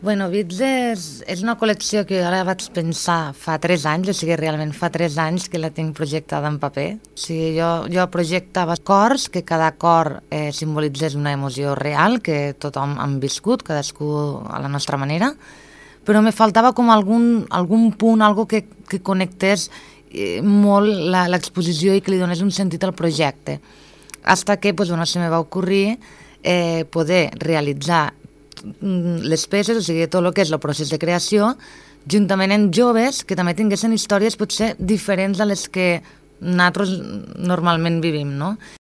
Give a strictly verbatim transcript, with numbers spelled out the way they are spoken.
Bueno, Bits és, és una col·lecció que ara vaig pensar fa tres anys, o sigui, realment fa tres anys que la tinc projectada en paper. O sigui, jo, jo projectava cors, que cada cor eh, simbolitzés una emoció real, que tothom han viscut, cadascú a la nostra manera, però me faltava com algun, algun punt, algo que, que connectés eh, molt l'exposició i que li donés un sentit al projecte. Hasta que pues, bueno, se me va ocorrir eh, poder realitzar les peces, o sigui, tot el que és el procés de creació, juntament amb joves que també tinguessin històries potser diferents a les que nosaltres normalment vivim, no?